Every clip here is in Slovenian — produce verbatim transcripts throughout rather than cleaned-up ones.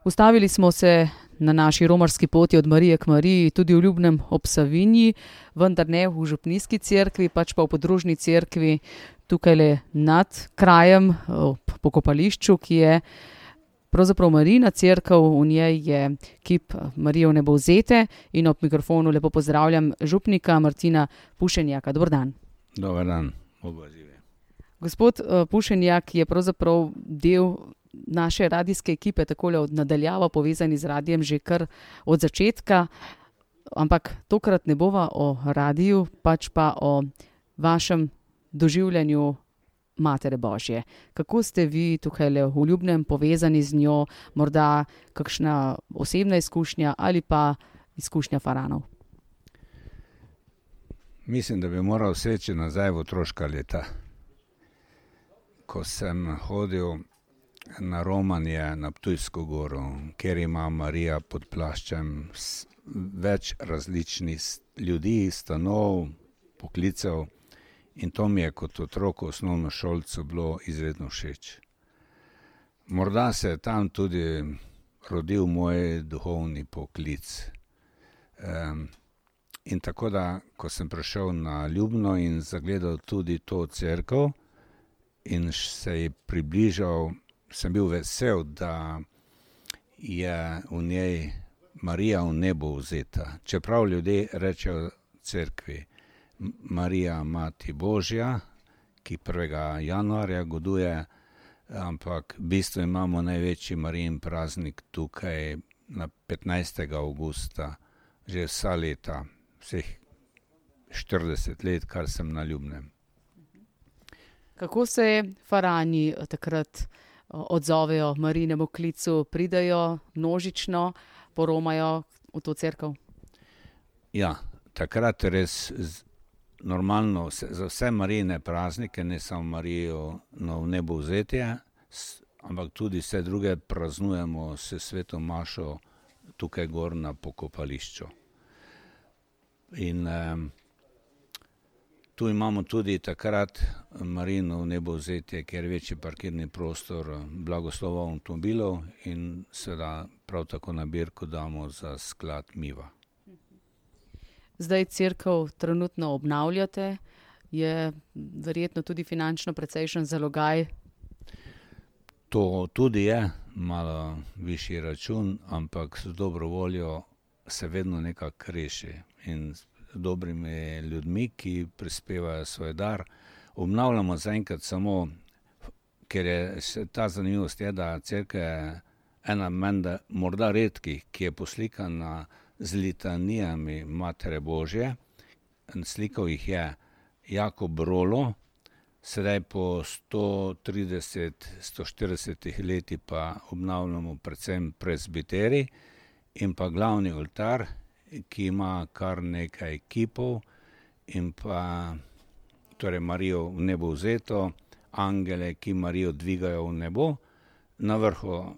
Ustavili smo se na naši romarski poti od Marije k Mariji, tudi v Ljubnem ob Savinji, vendar ne v župnijski cerkvi, pač pa v podružni cerkvi tukaj nad krajem, ob pokopališču, ki je pravzaprav Marijina cerkev, v njej je kip Marije Vnebovzete in ob mikrofonu lepo pozdravljam župnika Martina Pušenjaka. Dober dan. Dober dan, oba žive. Gospod Pušenjak je pravzaprav del naše radijske ekipe, takole od nadaljava povezani z radijem že kar od začetka, ampak tokrat ne bova o radiju, pač pa o vašem doživljanju Matere Božje. Kako ste vi tukaj v Ljubnem povezani z njo, morda kakšna osebna izkušnja ali pa izkušnja faranov? Mislim, da bi moral seči nazaj v otroška leta. Ko sem hodil na romanje na Ptujsko goro, kjer ima Marija pod plaščem več različnih ljudi, stanov, poklicev, in to mi je kot otroku osnovnošolcu bilo izredno všeč. Morda se je tam tudi rodil moj duhovni poklic. Um, in tako da, ko sem prišel na Ljubno in zagledal tudi to cerkev in se ji približal, sem bil vesel, da je v njej Marija Vnebovzeta. Čeprav ljudje rečejo cerkvi Marija Mati Božja, ki prvega januarja goduje, ampak v bistvu imamo največji Marijin praznik tukaj na petnajstega avgusta, že vsa leta, vseh štirideset let, kar sem na Ljubnem. Kako se farani takrat odzovejo Marijinemu klicu, pridejo množično, poromajo v to cerkev? Ja, takrat res normalno za vse Marijine praznike, ne samo Marijo Vnebovzetje, ampak tudi vse druge praznujemo s sveto mašo tukaj gor na pokopališču. In um, tu imamo tudi takrat Marijino Vnebovzetje, kjer je večji parkirni prostor, blagoslova avtomobilov in seveda prav tako nabirko damo za sklad Miva. Zdaj cerkev trenutno obnavljate, je verjetno tudi finančno precejšen zalogaj? To tudi je malo višji račun, ampak z dobro voljo se vedno nekako reši in z dobrimi ljudmi, ki prispevajo svoj dar. Obnavljamo zaenkrat samo, ker je ta zanimivost je, da cerkev je ena menda morda redkih, ki je poslikana z litanijami Matere Božje. Slikal jih je Jakob Rolo, sedaj po sto trideset, sto štiridesetih leti pa obnavljamo predvsem presbiterij in pa glavni oltar, ki ima kar nekaj kipov in pa torej Marijo Vnebovzeto, angele, ki Marijo dvigajo v nebo. Na vrhu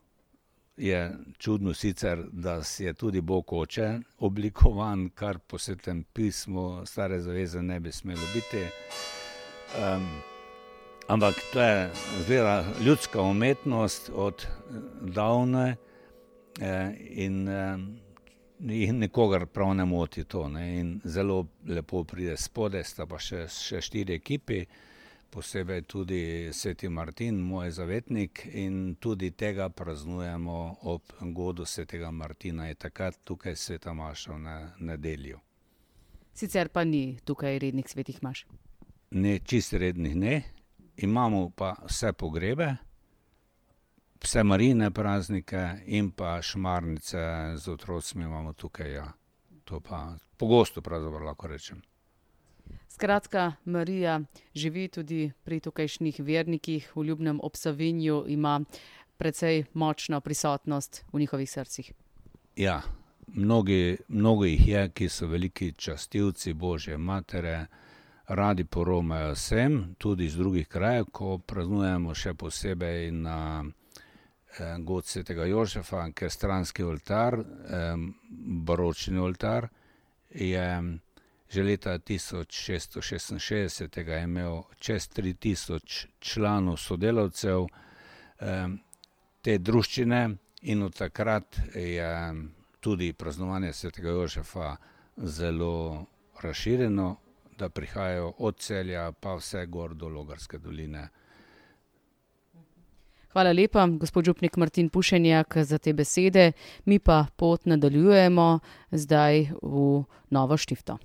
je čudno sicer, da si je tudi Bog Oče oblikovan, kar po Svetem pismu Stare zaveze ne bi smelo biti. Um, ampak to je zgleda ljudska umetnost od davne eh, in eh, nikogar prav ne moti to. Ne? In zelo lepo pride spode, sta pa še, še štiri ekipi, posebej tudi Sveti Martin, moj zavetnik, in tudi tega praznujemo ob godu Svetega Martina, je takrat tukaj sveta maša na nedeljo. Sicer pa ni tukaj rednih svetih maš? Ne, čisto rednih ne. Imamo pa vse pogrebe, vse Marijine praznike in pa šmarnice z otrocmi imamo tukaj, ja. To pa pogosto pravzaprav lahko rečem. Skratka, Marija živi tudi pri tukajšnjih vernikih v Ljubnem ob Savinju, ima precej močno prisotnost v njihovih srcih. Ja, mnogi, mnogo jih je, ki so veliki častilci Božje Matere, radi poromajo sem, tudi iz drugih krajev, ko praznujemo še posebej na eh, god Svetega Jožefa, ker stranski oltar, eh, baročni oltar, je že leta tisoč šeststo šestinšestdeset je imel čez tri tisoč članov sodelavcev. Te druščine In od takrat je tudi praznovanje svetega Jožefa zelo razširjeno, da prihajajo od Celja pa vse gor do Logarske doline. Hvala lepa, gospod župnik Martin Pušenjak, za te besede. Mi pa pot nadaljujemo zdaj v Novo Štifto.